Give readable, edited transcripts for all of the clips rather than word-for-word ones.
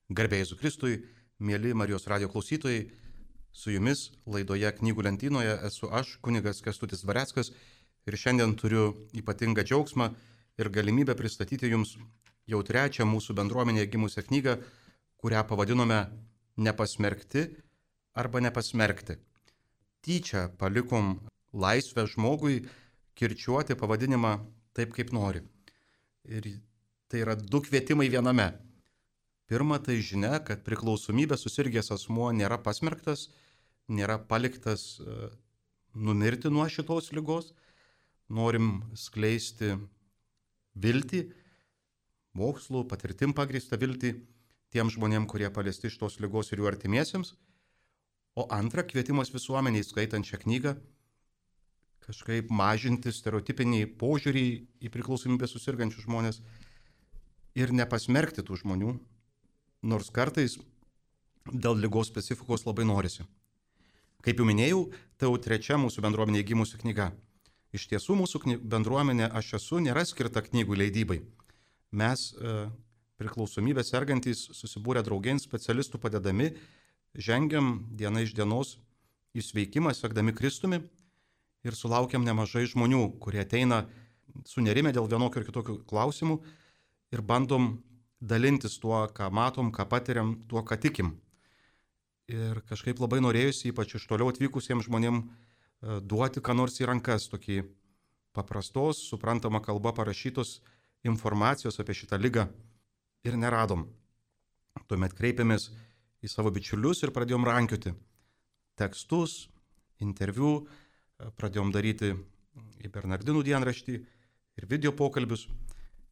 Garbė Jėzui Kristui, mėly Marijos radijo klausytojai, su jumis laidoje Knygų lentynoje esu aš, kunigas Kęstutis Dvareckas, ir šiandien turiu ypatingą džiaugsmą ir galimybę pristatyti jums jau trečią mūsų bendruomenėje gimusią knygą, kurią pavadinome Nepasmerkti arba nepasmerkti. Tyčia palikom laisvę žmogui kirčiuoti pavadinimą taip, kaip nori. Ir tai yra du kvietimai viename. Pirma, tai žinia, kad priklausomybė susirgęs asmuo nėra pasmerktas, nėra paliktas numirti nuo šitos ligos. Norim skleisti viltį, mokslų, patirtim pagrįstą viltį tiem žmonėm, kurie paliesti šitos ligos ir jų artimiesiems. O antra, kvietimas visuomeniai skaitant šią knygą kažkaip mažinti stereotipinį požiūrį į priklausomybę susirgančius žmonės ir nepasmerkti tų žmonių, nors kartais dėl ligos specifikos labai norisi. Kaip jau minėjau, tai jau trečia mūsų bendruomenėje gimusi knyga. Iš tiesų mūsų bendruomenė Aš esu nėra skirta knygų leidybai. Mes priklausomybę sergantys susibūrę draugėn specialistų padedami, žengiam diena iš dienos į sveikimą, sekdami Kristumi ir sulaukiam nemažai žmonių, kurie ateina sunerimę dėl vienokio ir kitokio klausimų ir bandom dalintis tuo, ką matom, ką patiriam, tuo, ką tikim. Ir kažkaip labai norėjusi, ypač iš toliau atvykusiems žmonėm, duoti ką nors į rankas, tokį paprastos, suprantama kalba parašytos informacijos apie šitą ligą ir neradom. Tuomet kreipėmės į savo bičiulius ir pradėjom rankioti tekstus, interviu, pradėjom daryti į Bernardinų dienraštį ir video pokalbius.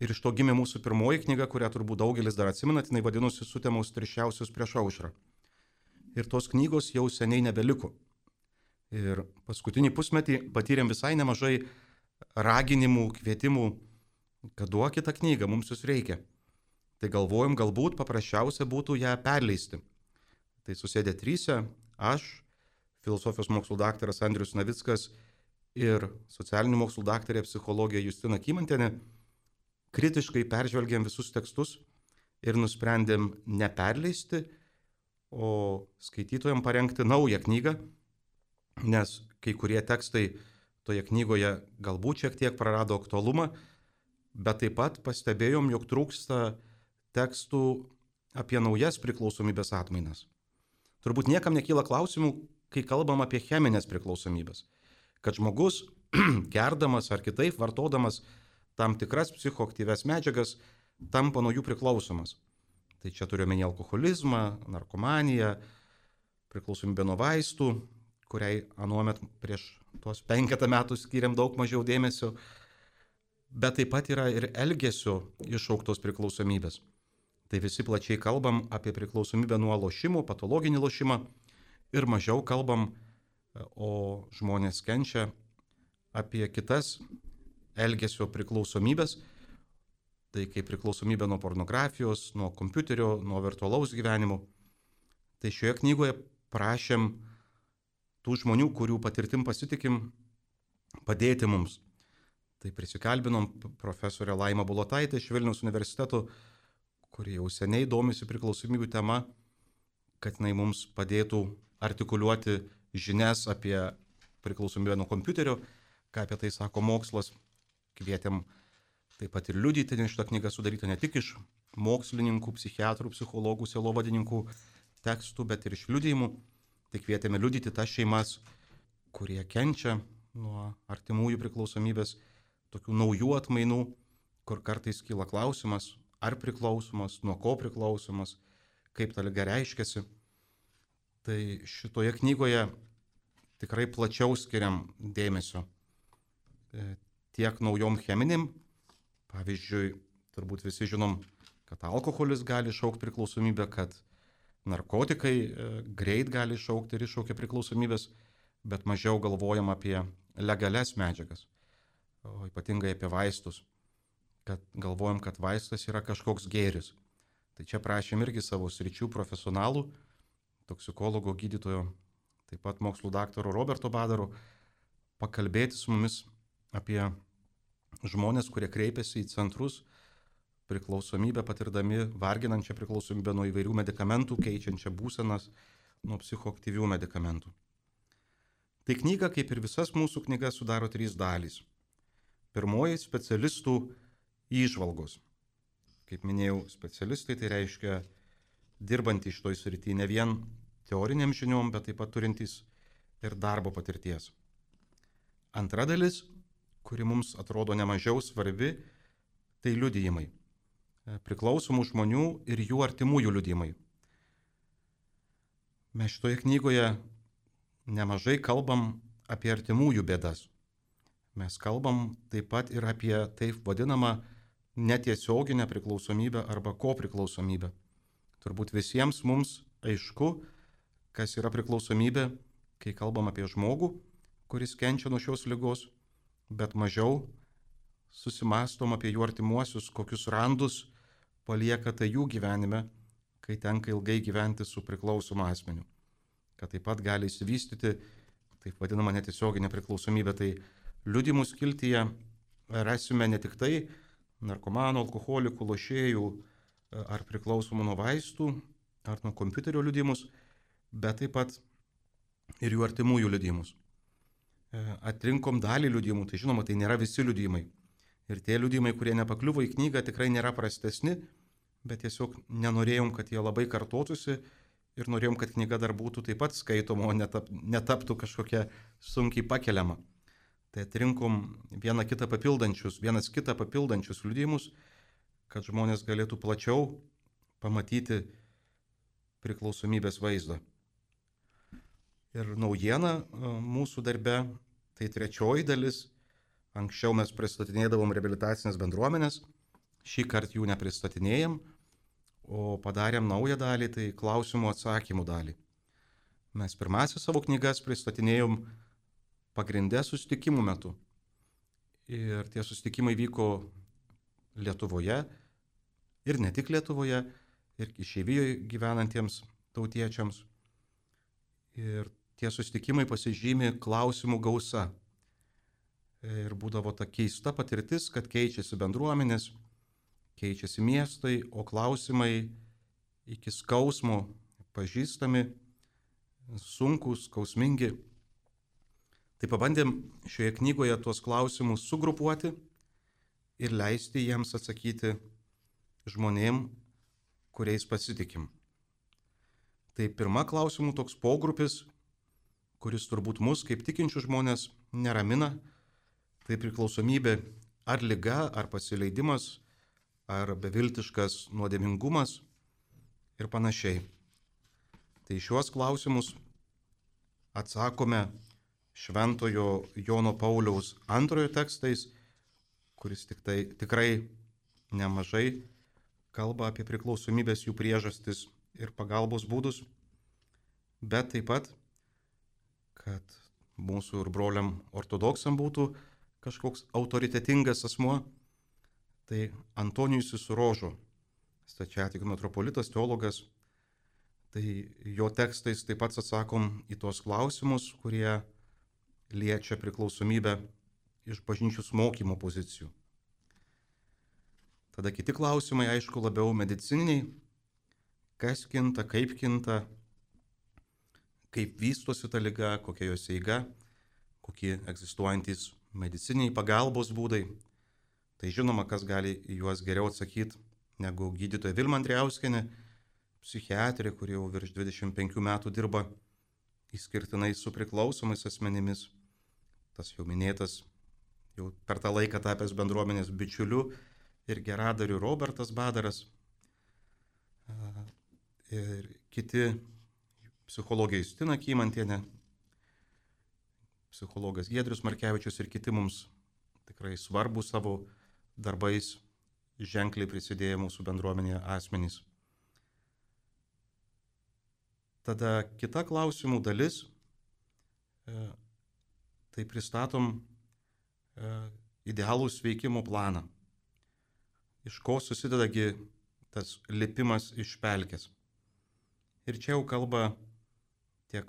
Ir iš to gimė mūsų pirmoji knyga, kurią turbūt daugelis dar atsimenat, jinai vadinosi Sutemos tirščiausius prieš aušrą. Ir tos knygos jau seniai nebeliko. Ir paskutinį pusmetį patyrėm visai nemažai raginimų, kvietimų, kad duokite knygą, mums jūs reikia. Tai galvojom, galbūt paprasčiausia būtų ją perleisti. Tai susėdė tryse, aš, filosofijos mokslų daktaras Andrius Navickas ir socialinių mokslų daktarė psichologė Justina Kymantienė, kritiškai peržvelgėm visus tekstus ir nusprendėm neperleisti, o skaitytojams parengti naują knygą, nes kai kurie tekstai toje knygoje galbūt šiek tiek prarado aktualumą, bet taip pat pastebėjom, jog trūksta tekstų apie naujas priklausomybės atmainas. Turbūt niekam nekyla klausimų, kai kalbam apie cheminės priklausomybės, kad žmogus gerdamas ar kitaip vartodamas tam tikras psichoaktyvias medžiagas tampa nuo jų priklausomas. Tai čia turiu omeny alkoholizmą, narkomaniją, priklausomybę nuo vaistų, kuriai anuomet prieš tuos 5 metų skiriam daug mažiau dėmesio, bet taip pat yra ir elgesio iššauktos priklausomybės. Tai visi plačiai kalbam apie priklausomybę nuo lošimų, patologinį lošimą ir mažiau kalbam, o žmonės kenčia apie kitas elgesio priklausomybės, tai kaip priklausomybė nuo pornografijos, nuo kompiuterio, nuo virtualaus gyvenimo. Tai šioje knygoje prašėm tų žmonių, kurių patirtim pasitikim, padėti mums. Tai prisikalbinom profesorę Laimą Bulotaitę iš Vilniaus universiteto, kuri jau seniai domisi priklausomybių tema, kad jinai mums padėtų artikuliuoti žinias apie priklausomybę nuo kompiuterio, ką apie tai sako mokslas. Kvietėm taip pat ir liudyti, nes šitą knygą sudaryta ne tik iš mokslininkų, psichiatrų, psichologų, sielovadininkų tekstų, bet ir iš liudijimų. Tai kvietėme liudyti tas šeimas, kurie kenčia nuo artimųjų priklausomybės, tokių naujų atmainų, kur kartais kyla klausimas, ar priklausomas, nuo ko priklausomas, kaip ta liga reiškiasi. Tai šitoje knygoje tikrai plačiau skiriam dėmesio tiek naujom cheminėm. Pavyzdžiui, turbūt visi žinom, kad alkoholis gali iššaukti priklausomybę, kad narkotikai greit gali iššaukti ir iššaukia priklausomybės, bet mažiau galvojam apie legalias medžiagas, o ypatingai apie vaistus, kad galvojam, kad vaistas yra kažkoks gėris. Tai čia prašėm irgi savo sričių profesionalų, toksikologo, gydytojo, taip pat mokslų daktaro Roberto Badaro, pakalbėti su mumis apie žmonės, kurie kreipiasi į centrus priklausomybę patirdami, varginančią priklausomybę nuo įvairių medikamentų, keičiančią būsenas nuo psichoaktyvių medikamentų. Tai knyga, kaip ir visas mūsų knygas, sudaro 3 dalys. Pirmoji - specialistų įžvalgos. Kaip minėjau, specialistai tai reiškia dirbantys šitoj srityje ne vien teoriniam žiniom, bet taip pat turintys ir darbo patirties. Antra dalis, kuri mums atrodo nemažiau svarbi, tai liudijimai. Priklausomų žmonių ir jų artimųjų liudijimai. Mes šitoje knygoje nemažai kalbam apie artimųjų bėdas. Mes kalbam taip pat ir apie taip vadinamą netiesioginę priklausomybę arba kopriklausomybę. Turbūt visiems mums aišku, kas yra priklausomybė, kai kalbam apie žmogų, kuris kenčia nuo šios ligos, bet mažiau susimastom apie jų artimuosius, kokius randus palieka tai jų gyvenime, kai tenka ilgai gyventi su priklausomu asmeniu. Kad taip pat gali įsivystyti taip vadinama netiesioginė priklausomybė. Tai liudijimų skiltyje rasime ne tik tai narkomanų, alkoholikų, lošėjų ar priklausomų nuo vaistų ar nuo kompiuterio liudijimus, bet taip pat ir jų artimųjų liudijimus. Atrinkom dalį liudijimų, tai žinoma, tai nėra visi liudijimai. Ir tie liudijimai, kurie nepakliuvo į knygą, tikrai nėra prastesni, bet tiesiog nenorėjom, kad jie labai kartotųsi ir norėjom, kad knyga dar būtų taip pat skaitoma, o netaptų kažkokia sunkiai pakeliama. Tai atrinkom vienas kitą papildančius liudijimus, kad žmonės galėtų plačiau pamatyti priklausomybės vaizdą. Ir naujiena mūsų darbe, tai 3 dalis. Anksčiau mes pristatinėdavom reabilitacinės bendruomenės, šį kartą jų nepristatinėjom, o padarėm naują dalį, tai klausimų atsakymų dalį. Mes pirmasis savo knygas pristatinėjom pagrindę susitikimų metu. Ir tie susitikimai vyko Lietuvoje ir ne tik Lietuvoje, ir išeivijoje gyvenantiems tautiečiams. Ir tie susitikimai pasižymi klausimų gausa. Ir būdavo ta keista patirtis, kad keičiasi bendruomenės, keičiasi miestai, o klausimai iki skausmo pažįstami, sunkūs, skausmingi. Tai pabandėm šioje knygoje tuos klausimus sugrupuoti ir leisti jiems atsakyti žmonėm, kuriais pasitikim. Tai pirma klausimų toks pogrupis, kuris turbūt mus kaip tikinčių žmonės neramina, tai priklausomybė ar liga, ar pasileidimas, ar beviltiškas nuodėmingumas ir panašiai. Tai šiuos klausimus atsakome Šventojo Jono Pauliaus II tekstais, kuris tikrai nemažai kalba apie priklausomybės jų priežastis ir pagalbos būdus, bet taip pat, kad mūsų ir broliam ortodoksam būtų kažkoks autoritetingas asmuo, tai Antonijus Surožo, stačiatikių metropolitas, teologas, tai jo tekstais taip pat atsakom į tos klausimus, kurie liečia priklausomybę iš bažnyčios mokymo pozicijų. Tada kiti klausimai, aišku, labiau medicininiai, kas kinta, kaip vystosi ta liga, kokia jos eiga, kokie egzistuojantis mediciniai pagalbos būdai. Tai žinoma, kas gali į juos geriau atsakyti negu gydytoja Vilma Andrijauskienė, psichiatrė, kuri jau virš 25 metų dirba išskirtinai su priklausomais asmenimis. Tas jau minėtas, jau per tą laiką tapęs bendruomenės bičiuliu ir geradariu Robertas Badaras. Ir kiti psichologė Justina Kymantienė, psichologas Giedrius Markevičius ir kiti mums tikrai svarbus savo darbais ženkliai prisidėjo mūsų bendruomenėje asmenys. Tada kita klausimų dalis, tai pristatom idealų sveikimo planą. Iš ko susidedagi tas lipimas iš pelkės. Ir čia jau kalba tiek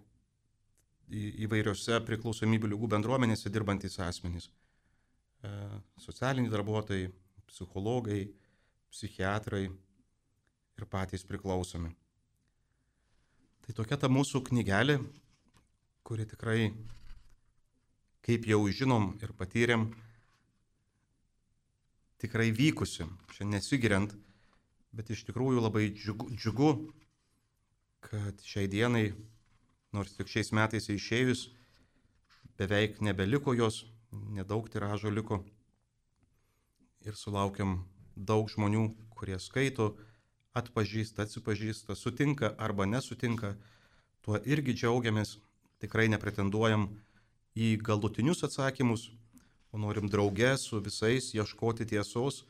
įvairiose priklausomybių ligų bendruomenėse dirbantys asmenys. Socialiniai darbuotojai, psichologai, psichiatrai ir patys priklausomi. Tai tokia ta mūsų knygelė, kuri tikrai, kaip jau žinom ir patyrėm, tikrai vykusi, čia nesigiriant, bet iš tikrųjų labai džiugu, kad šiai dienai, nors tik šiais metais išėjus, beveik nebeliko jos, nedaug tiražo liko ir sulaukiam daug žmonių, kurie skaito, atpažįsta, atsipažįsta, sutinka arba nesutinka, tuo irgi džiaugiamės, tikrai nepretenduojam į galutinius atsakymus, o norim drauge su visais ieškoti tiesos,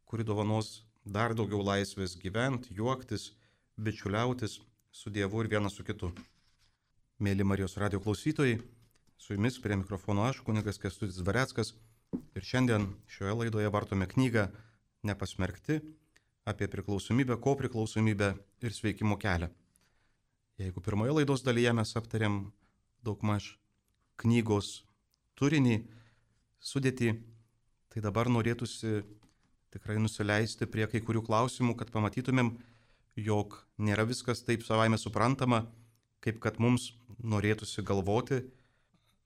kuri dovanos dar daugiau laisvės gyventi, juoktis, bičiuliautis su Dievu ir vienas su kitu. Mėly Marijos radijo klausytojai, su jumis prie mikrofono aš, kunigas Kęstutis Dvareckas, ir šiandien šioje laidoje vartome knygą Nepasmerkti apie priklausomybę, kopriklausomybę ir sveikimo kelią. Jeigu pirmoje laidos dalyje mes aptarėm daugmaž knygos turinį, sudėtį, tai dabar norėtųsi tikrai nusileisti prie kai kurių klausimų, kad pamatytumėm, jog nėra viskas taip savaime suprantama, kaip kad mums norėtųsi galvoti,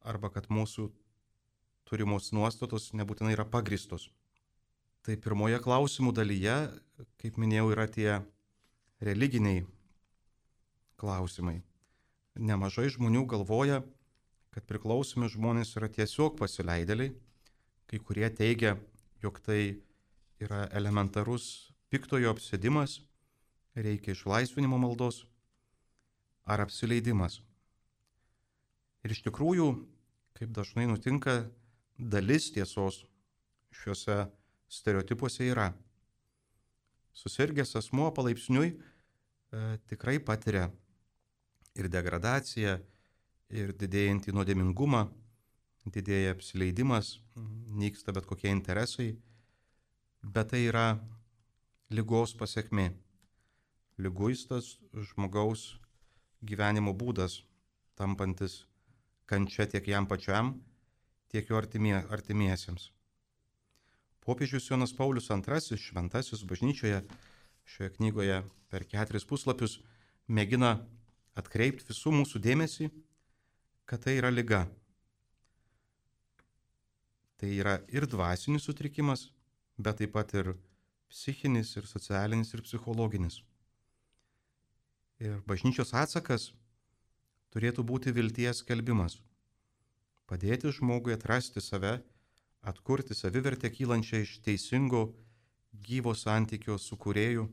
arba kad mūsų turimos nuostatos nebūtinai yra pagristos. Tai pirmoje klausimų dalyje, kaip minėjau, yra tie religiniai klausimai. Nemažai žmonių galvoja, kad priklausomi žmonės yra tiesiog pasileidėliai, kai kurie teigia, jog tai yra elementarus piktojo apsėdimas, reikia išlaisvinimo maldos ar apsileidimas. Ir iš tikrųjų, kaip dažnai nutinka, dalis tiesos šiuose stereotipuose yra. Susirgęs asmuo palaipsniui tikrai patiria ir degradaciją, ir didėjantį nuodėmingumą, didėja apsileidimas, nyksta bet kokie interesai, bet tai yra ligos pasekmė. Liguistas žmogaus gyvenimo būdas, tampantis kančia tiek jam pačiam, tiek jo artimiesiems. Popiežius Jonas Paulius II, šventasis bažnyčioje, šioje knygoje per 4 puslapius mėgina atkreipti visų mūsų dėmesį, kad tai yra liga. Tai yra ir dvasinis sutrikimas, bet taip pat ir psichinis, ir socialinis, ir psichologinis. Ir bažnyčios atsakas turėtų būti vilties skelbimas. Padėti žmogui atrasti save, atkurti savivertę kylančią iš teisingo, gyvo santykio su kūrėju.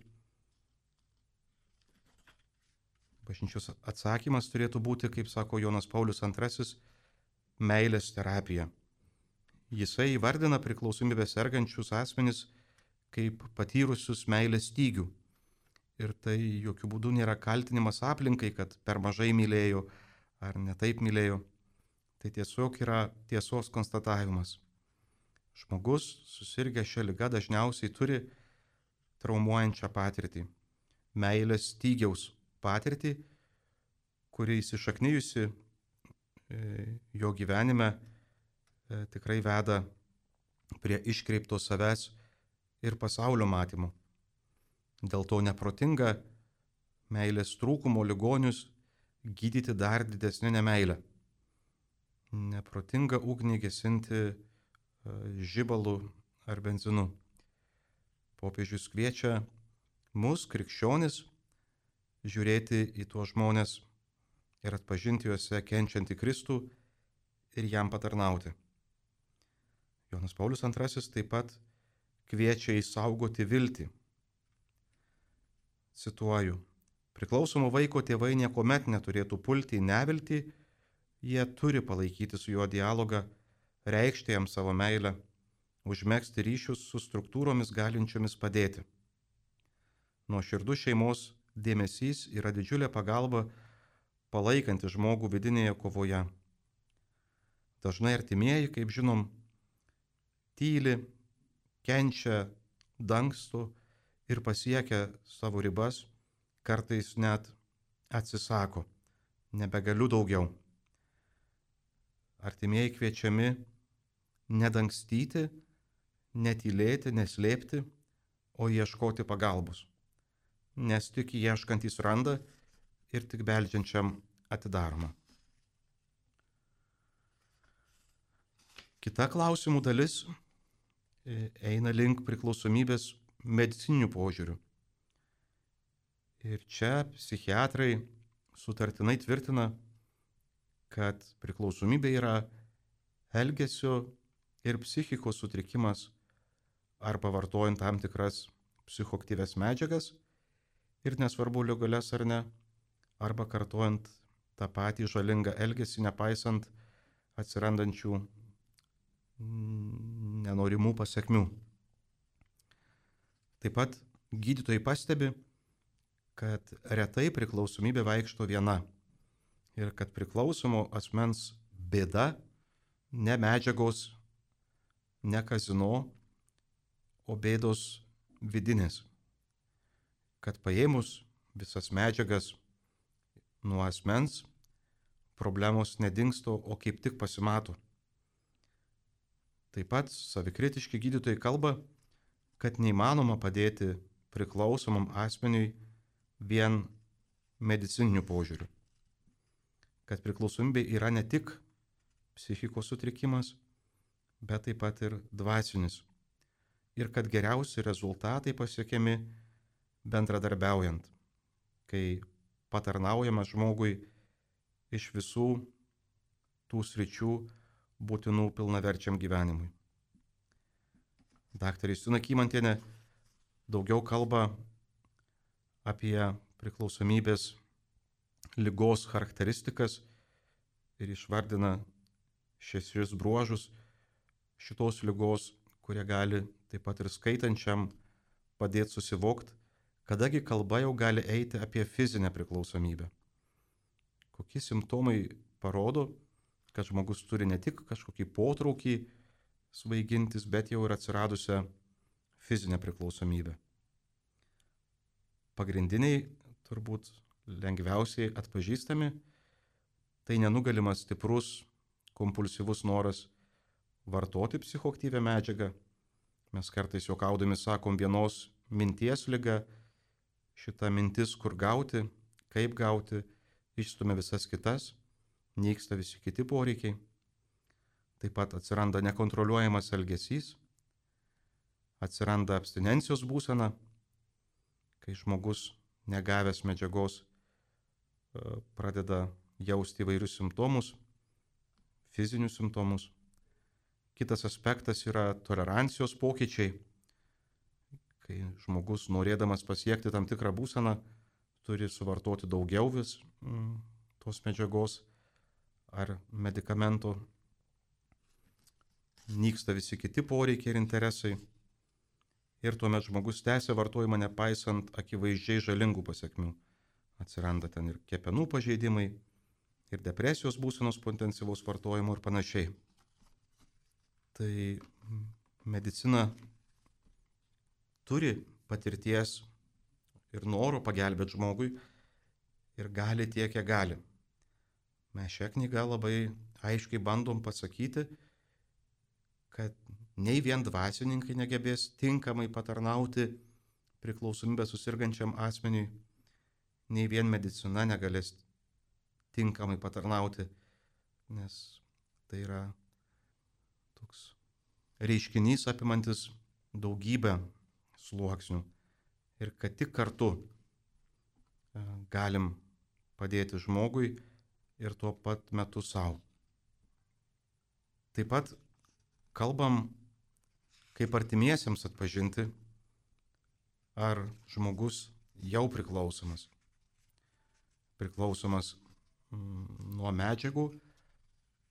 Bažnyčios atsakymas turėtų būti, kaip sako Jonas Paulius II, meilės terapija. Jisai įvardina priklausomybę sergančius asmenis kaip patyrusius meilės stygių. Ir tai jokių būdų nėra kaltinimas aplinkai, kad per mažai mylėjo ar netaip mylėjo. Tai tiesiog yra tiesos konstatavimas. Žmogus susirgęs šią ligą dažniausiai turi traumuojančią patirtį. Meilės stygiaus patirtį, kuri įsišaknijusi jo gyvenime tikrai veda prie iškreipto savęs ir pasaulio matymo. Dėl to neprotinga meilės trūkumo ligonius gydyti dar didesnė nemeilė. Neprotinga ugnį gesinti žibalu ar benzinu. Popiežius kviečia mus, krikščionis, žiūrėti į tuos žmonės ir atpažinti juose kenčiantį Kristų ir jam patarnauti. Jonas Paulius II taip pat kviečia išsaugoti viltį. Cituoju, priklausomo vaiko tėvai niekuomet neturėtų pulti į neviltį, jie turi palaikyti su juo dialogą, reikšti jam savo meilę, užmegzti ryšius su struktūromis galinčiomis padėti. Nuoširdus šeimos dėmesys yra didžiulė pagalba palaikanti žmogų vidinėje kovoje. Dažnai artimieji, kaip žinom, tyli, kenčia, dangsto ir pasiekia savo ribas, kartais net atsisako, nebegaliu daugiau. Artimieji kviečiami nedangstyti, netylėti, neslėpti, o ieškoti pagalbos. Nes tik ieškantys randa ir tik beldžiančiam atidaroma. Kita klausimų dalis eina link priklausomybės medicininių požiūrių. Ir čia psichiatrai sutartinai tvirtina, kad priklausomybė yra elgesio ir psichikos sutrikimas arba vartojant tam tikras psichoaktyvias medžiagas ir nesvarbu legalias ar ne, arba kartojant tą patį žalingą elgesį, nepaisant atsirandančių nenorimų pasekmių. Taip pat gydytojai pastebi, kad retai priklausomybė vaikšto viena ir kad priklausomo asmens bėda ne medžiagos, ne kazino, o bėdos vidinės. Kad paėmus visas medžiagas nuo asmens, problemos nedingsto, o kaip tik pasimato. Taip pat savikritiški gydytojai kalba, kad neįmanoma padėti priklausomam asmeniui vien medicininiu požiūriu. Kad priklausomybė yra ne tik psichikos sutrikimas, bet taip pat ir dvasinis. Ir kad geriausi rezultatai pasiekiami bendradarbiaujant, kai patarnaujama žmogui iš visų tų sričių būtinų pilnaverčiam gyvenimui. Daktarė Justina Kymantienė daugiau kalba apie priklausomybės ligos charakteristikas ir išvardina 6 bruožus šitos ligos, kurie gali taip pat ir skaitančiam padėti susivokti, kadagi kalba jau gali eiti apie fizinę priklausomybę. Kokie simptomai parodo, kad žmogus turi ne tik kažkokį potraukį svaigintis, bet jau ir atsiradusią fizinę priklausomybę. Pagrindiniai, turbūt lengviausiai atpažįstami, tai nenugalimas stiprus, kompulsyvus noras vartoti psichoaktyvią medžiagą. Mes kartais juokaudami sakom vienos minties liga, šita mintis, kur gauti, kaip gauti, išstumia visas kitas, nyksta visi kiti poreikiai. Taip pat atsiranda nekontroliuojamas elgesys, atsiranda abstinencijos būsena, kai žmogus negavęs medžiagos pradeda jausti įvairius simptomus, fizinius simptomus. Kitas aspektas yra tolerancijos pokyčiai, kai žmogus norėdamas pasiekti tam tikrą būseną turi suvartoti daugiau vis tos medžiagos ar medikamento. Nyksta visi kiti poreikiai ir interesai. Ir tuomet žmogus tęsia vartojimą nepaisant akivaizdžiai žalingų pasekmių. Atsiranda ten ir kepenų pažeidimai, ir depresijos būsenos po intensyvaus vartojimo ir panašiai. Tai medicina turi patirties ir noro pagelbėti žmogui ir gali tiek, kiek gali. Mes šią knygą labai aiškiai bandom pasakyti, kad nei vien dvasininkai negebės tinkamai patarnauti priklausomybę susirgančiam asmeniui, nei vien medicina negalės tinkamai patarnauti, nes tai yra toks reiškinys apimantis daugybę sluoksnių ir kad tik kartu galim padėti žmogui ir tuo pat metu savo. Taip pat kalbam, kaip artimiesiems atpažinti, ar žmogus jau priklausomas. Priklausomas nuo medžiagų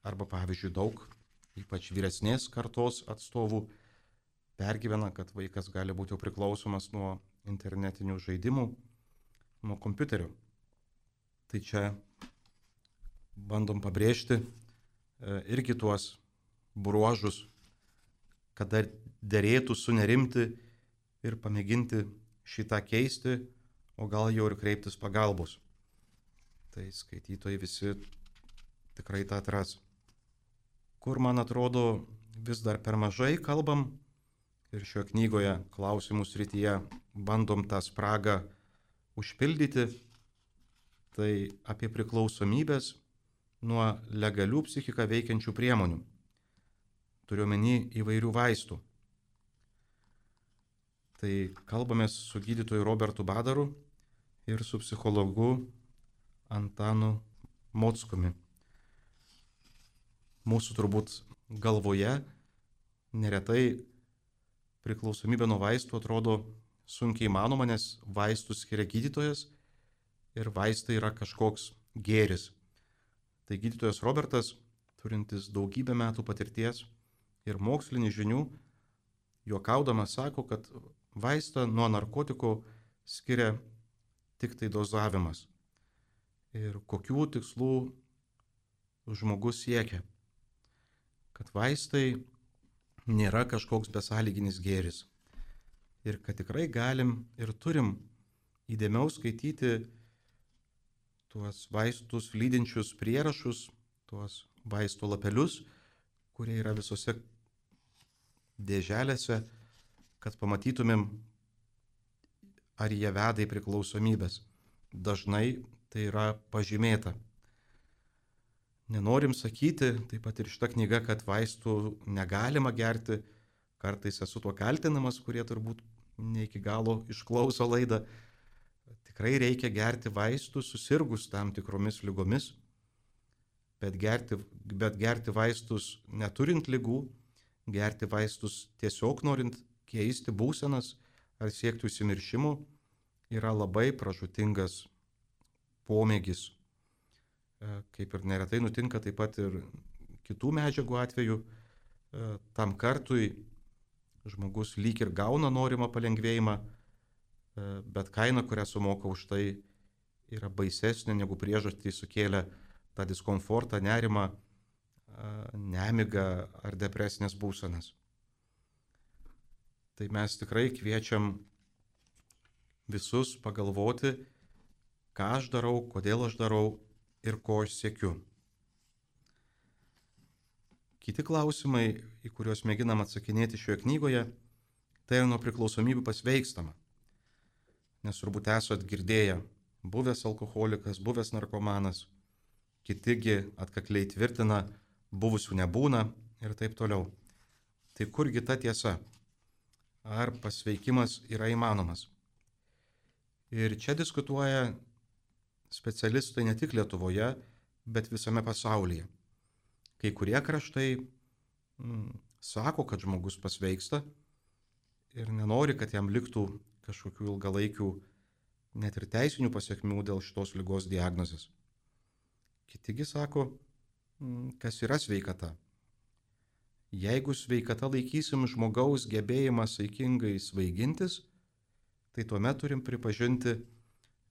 arba, pavyzdžiui, daug, ypač vyresnės kartos atstovų, pergyvena, kad vaikas gali būti jau priklausomas nuo internetinių žaidimų, nuo kompiuterio. Tai čia bandom pabrėžti irgi tuos bruožus, kada derėtų sunerimti ir pamėginti šitą keisti, o gal jau ir kreiptis pagalbos. Tai skaitytojai visi tikrai tą atras. Kur, man atrodo, vis dar per mažai kalbam ir šioje knygoje klausimų srityje bandom tą spragą užpildyti, tai apie priklausomybės nuo legalių psichiką veikiančių priemonių. Turiuomenį įvairių vaistų. Tai kalbamės su gydytoju Robertu Badaru ir su psichologu Antanu Mockumi. Mūsų turbūt galvoje neretai priklausomybė nuo vaistų atrodo sunkiai įmanoma, nes vaistus skiria gydytojas ir vaistai yra kažkoks gėris. Tai gydytojas Robertas, turintis daugybę metų patirties ir mokslinių žinių, juokaudamas sako, kad vaistą nuo narkotikų skiria tik tai dozavimas. Ir kokių tikslų žmogus siekia. Kad vaistai nėra kažkoks besąlyginis gėris. Ir kad tikrai galim ir turim įdėmiau skaityti tuos vaistus lydinčius prierašus, tuos vaistų lapelius, kurie yra visose dėželėse, kad pamatytumėm, ar jie veda į priklausomybės. Dažnai tai yra pažymėta. Nenorim sakyti, taip pat ir šita knyga, kad vaistų negalima gerti. Kartais esu tuo kaltinamas, kurie turbūt ne iki galo išklauso laidą. Tikrai reikia gerti vaistus susirgus tam tikromis lygomis, bet gerti vaistus neturint lygų, gerti vaistus tiesiog norint keisti būsenas ar siekti užsimiršimo yra labai pražūtingas pomėgis. Kaip ir neretai nutinka taip pat ir kitų medžiagų atveju, tam kartui žmogus lyg ir gauna norimą palengvėjimą, bet kaina, kurią sumoka už tai, yra baisesnė negu priežastį sukėlė tą diskomfortą, nerimą, nemigą ar depresinės būsenas. Tai mes tikrai kviečiam visus pagalvoti, ką aš darau, kodėl aš darau ir ko aš siekiu. Kiti klausimai, į kuriuos mėginam atsakinėti šioje knygoje, tai yra nuo priklausomybių pasveikstama. Nes turbūt esat girdėję, buvęs alkoholikas, buvęs narkomanas, kitigi atkakliai tvirtina, buvusių nebūna ir taip toliau. Tai kurgi ta tiesa? Ar pasveikimas yra įmanomas? Ir čia diskutuoja specialistai ne tik Lietuvoje, bet visame pasaulyje. Kai kurie kraštai sako, kad žmogus pasveiksta ir nenori, kad jam liktų kažkokių ilgalaikių, net ir teisinių pasiekmių dėl šitos ligos diagnozės. Kitigi sako, kas yra sveikata. Jeigu sveikata laikysim žmogaus gebėjimą saikingai svaigintis, tai tuomet turim pripažinti,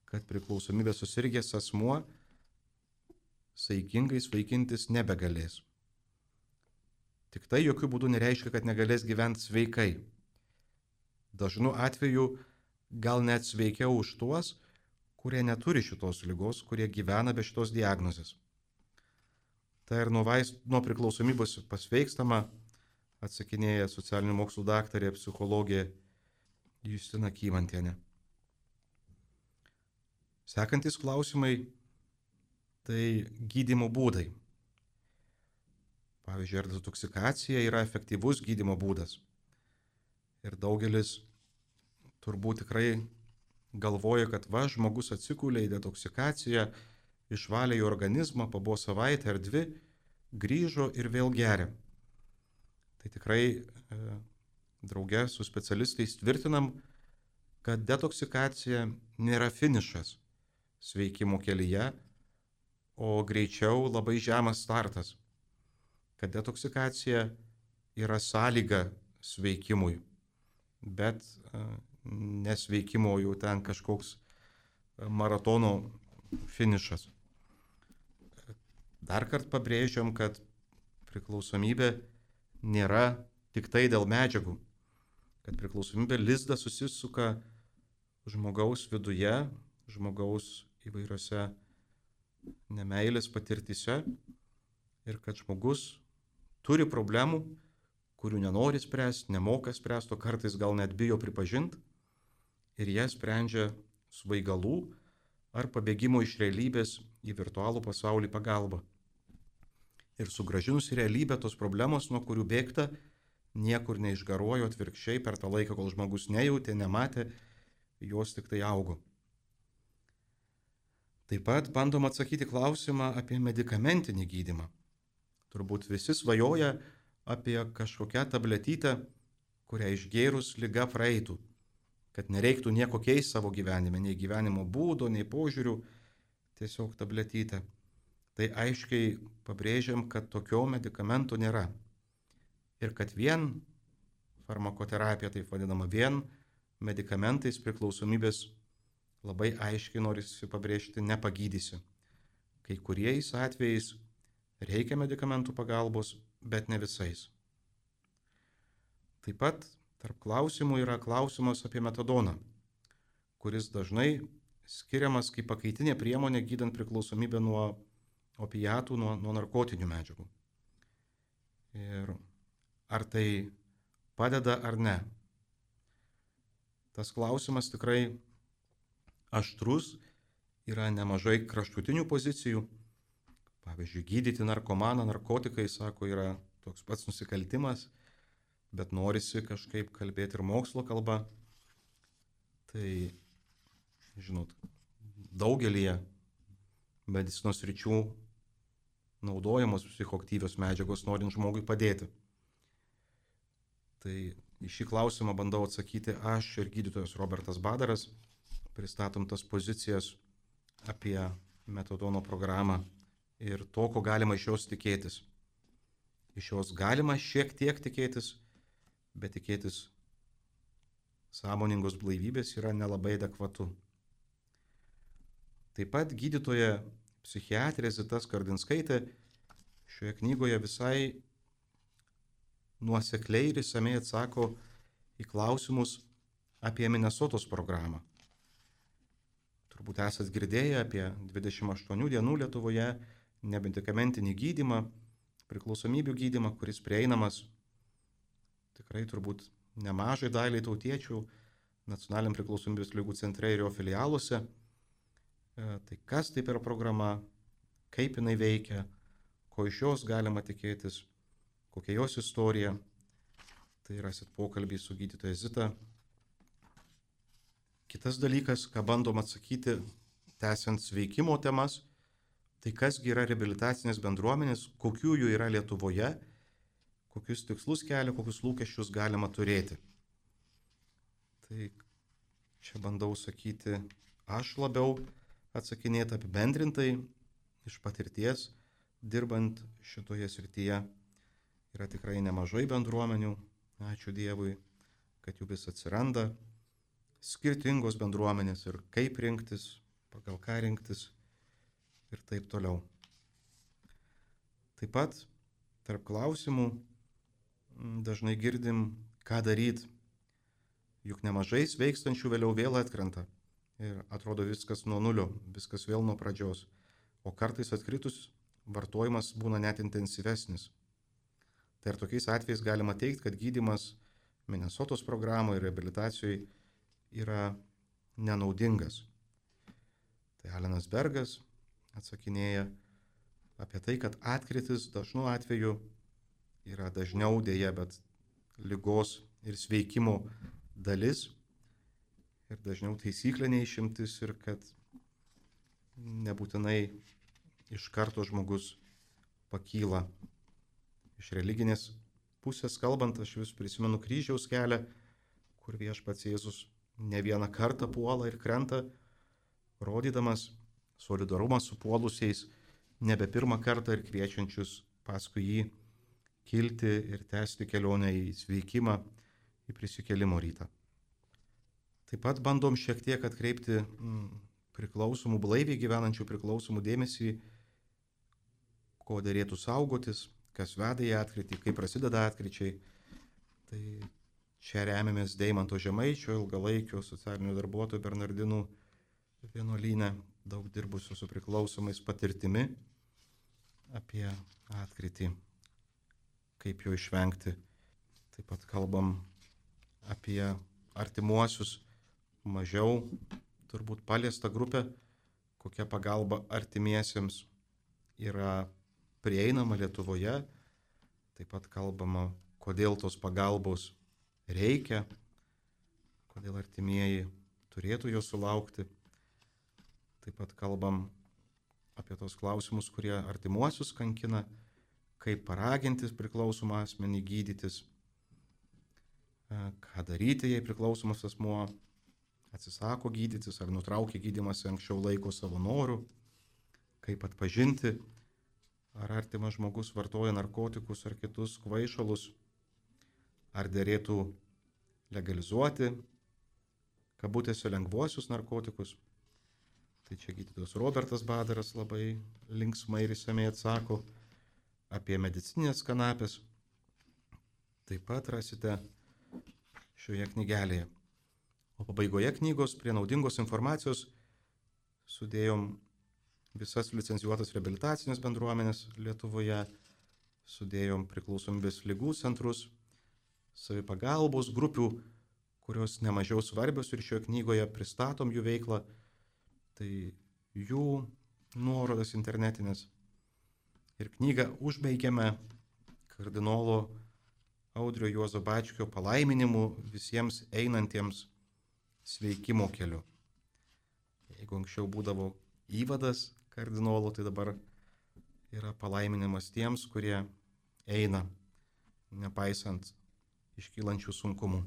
kad priklausomybė susirgęs asmuo saikingai svaigintis nebegalės. Tik tai jokių būdų nereiškia, kad negalės gyventi sveikai. Dažnu atveju gal net sveikiau už tuos, kurie neturi šitos ligos, kurie gyvena be šitos diagnozės. Tai ir nuo priklausomybės pasveikstama atsakinėja socialinių mokslų daktarė, psichologė Justina Kymantienė. Sekantis klausimai - tai gydymo būdai. Pavyzdžiui, ar detoksikacija yra efektyvus gydymo būdas? Ir daugelis turbūt tikrai galvoja, kad žmogus atsigulė į detoksikaciją, išvalė į organizmą, pabuvo savaitę ar dvi, grįžo ir vėl geria. Tai tikrai drauge su specialistais tvirtinam, kad detoksikacija nėra finišas sveikimo kelyje, o greičiau labai žemas startas. Kad detoksikacija yra sąlyga sveikimui, bet nesveikimo jau ten kažkoks maratono finišas. Dar kartą pabrėžiam, kad priklausomybė nėra tik tai dėl medžiagų, kad priklausomybė lizdą susisuka žmogaus viduje, žmogaus įvairiose nemeilės patirtyse ir kad žmogus turi problemų, kurių nenori spręsti, nemoka spręsti, o kartais gal net bijo pripažinti ir jas sprendžia svaigalų ar pabėgimo iš realybės į virtualų pasaulį pagalba. Ir sugrąžinus į realybę tos problemos, nuo kurių bėgta, niekur neišgaruojo, atvirkščiai per tą laiką, kol žmogus nejautė, nematė, jos tik tai augo. Taip pat bandom atsakyti klausimą apie medikamentinį gydymą. Turbūt visi svajoja apie kažkokią tabletytę, kurią išgėrus liga praeitų, kad nereiktų nieko keisti savo gyvenime, nei gyvenimo būdo, nei požiūrių, tiesiog tabletytę. Tai aiškiai pabrėžiam, kad tokio medikamento nėra. Ir kad vien farmakoterapija, taip vadinama, vien medikamentais priklausomybės labai aiškiai norisi pabrėžti nepagydysi. Kai kuriais atvejais reikia medikamentų pagalbos, bet ne visais. Taip pat tarp klausimų yra klausimas apie metadoną, kuris dažnai skiriamas kaip pakaitinė priemonė gydant priklausomybę nuo opiatų, nuo narkotinių medžiagų. Ir ar tai padeda ar ne? Tas klausimas tikrai aštrus, yra nemažai kraštutinių pozicijų. Pavyzdžiui, gydyti narkomaną narkotikai, sako, yra toks pats nusikaltimas, bet norisi kažkaip kalbėti ir mokslo kalba. Tai, žinot, daugelį medicinos ryčių naudojamos psichoaktyvios medžiagos, norint žmogui padėti. Tai į šį klausimą bandau atsakyti aš ir gydytojas Robertas Badaras. Pristatom tas pozicijas apie metadono programą ir to, ko galima iš jos tikėtis. Iš jos galima šiek tiek tikėtis, bet tikėtis sąmoningos blaivybės yra nelabai adekvatu. Taip pat gydytoja psichiatrė Zita Skardinskaitė šioje knygoje visai nuosekliai ir išsamiai atsako į klausimus apie Minesotos programą. Turbūt esat girdėję apie 28 dienų Lietuvoje nemedikamentinį gydymą, priklausomybių gydymą, kuris prieinamas tikrai turbūt nemažai daliai tautiečių Nacionaliniam priklausomybės ligų centre ir jo filialuose. Tai kas tai per programa, kaip jinai veikia, ko iš jos galima tikėtis, kokia jos istorija. Tai rasit pokalbį su gydytoja Zita. Kitas dalykas, ką bandom atsakyti, tęsiant sveikimo temas, tai kasgi yra reabilitacinės bendruomenės, kokių jų yra Lietuvoje, kokius tikslus kelia, kokius lūkesčius galima turėti. Tai čia bandau sakyti, aš labiau atsakinėti apibendrintai iš patirties, dirbant šitoje srityje. Yra tikrai nemažai bendruomenių, ačiū Dievui, kad jų vis atsiranda. Skirtingos bendruomenės ir kaip rinktis, pagal ką rinktis ir taip toliau. Taip pat tarp klausimų dažnai girdim, ką daryti, juk nemažai sveikstančių vėliau vėl atkrenta ir atrodo viskas nuo nulio, viskas vėl nuo pradžios, o kartais atkritus vartojimas būna net intensyvesnis. Tai ir tokiais atvejais galima teikti, kad gydymas Minesotos programoje ir reabilitacijoje yra nenaudingas. Tai Alenas Bergas atsakinėja apie tai, kad atkritis dažnu atveju yra dažniau dėja, bet ligos ir sveikimo dalis ir dažniau taisyklė neišimtis ir kad nebūtinai iš karto žmogus pakyla. Iš religinės pusės kalbant, aš vis prisimenu kryžiaus kelią, kur Viešpats Jėzus ne vieną kartą puola ir krenta, rodydamas solidarumą su puolusiais, nebe pirmą kartą ir kviečiančius paskui jį kilti ir tęsti kelionę į sveikimą, į prisikėlimo rytą. Taip pat bandom šiek tiek atkreipti priklausomų, blaiviai gyvenančių priklausomų dėmesį, ko derėtų saugotis, kas veda į atkritį, kaip prasideda atkričiai. Tai čia remiamės Deimanto Žemaičio, ilgalaikio socialinių darbuotojų Bernardinų vienuolyne, daug dirbusių su priklausomais patirtimi apie atkritį, kaip jo išvengti. Taip pat kalbam apie artimuosius, mažiau turbūt paliestą grupę, kokia pagalba artimiesiems yra prieinama Lietuvoje. Taip pat kalbama, kodėl tos pagalbos reikia, kodėl artimieji turėtų jos sulaukti. Taip pat kalbam apie tos klausimus, kurie artimuosius kankina, kaip paraginti priklausomą asmenį gydytis, ką daryti, jei priklausomas asmuo atsisako gydytis ar nutraukia gydymąsi anksčiau laiko savo norų, kaip atpažinti, ar artimas žmogus vartoja narkotikus ar kitus kvaišalus, ar derėtų legalizuoti, kabutėse, lengvuosius narkotikus. Tai čia gydytojas Robertas Badaras labai linksmai ir išsamei atsako apie medicinės kanapės. Taip pat rasite šioje knygelėje. O pabaigoje knygos prie naudingos informacijos sudėjom visas licencijuotas reabilitacinės bendruomenės Lietuvoje, sudėjom priklausomybės ligų centrus, savipagalbos grupių, kurios nemažiau svarbios ir šioje knygoje pristatom jų veiklą, tai jų nuorodas internetinės. Ir knygą užbaigiame kardinolo Audrio Juozo Bačkio palaiminimu visiems einantiems sveikimo keliu. Jeigu anksčiau būdavo įvadas kardinolo, tai dabar yra palaiminimas tiems, kurie eina, nepaisant iškylančių sunkumų.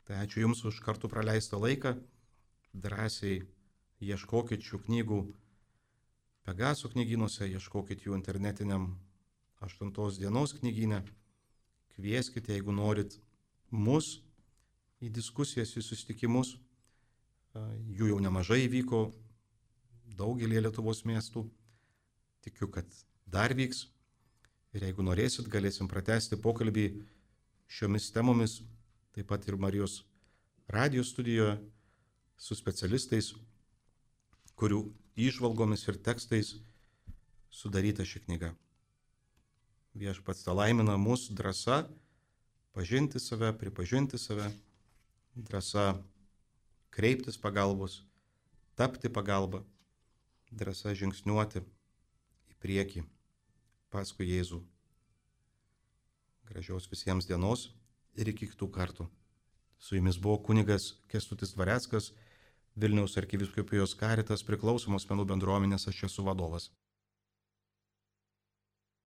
Tai ačiū Jums už kartu praleistą laiką, drąsiai ieškokit šių knygų Pegaso knygynuose, ieškokit jų internetiniam 8 dienos knygyne, kvieskite, jeigu norit, mus į diskusijas, į susitikimus. Jų jau nemažai vyko daugelį Lietuvos miestų. Tikiu, kad dar vyks. Ir jeigu norėsit, galėsim pratęsti pokalbį šiomis temomis, taip pat ir Marijos radijos studijoje su specialistais, kurių įžvalgomis ir tekstais sudaryta ši knyga. Viešpats laimina mus drąsa pažinti save, pripažinti save, drąsa kreiptis pagalbos, tapti pagalba, drąsa žingsniuoti į priekį paskui Jėzų. Gražios visiems dienos ir iki kitų kartų. Su jumis buvo kunigas Kęstutis Dvareckas, Vilniaus arkivyskupijos Caritas priklausomos asmenų bendruomenės, aš esu vadovas.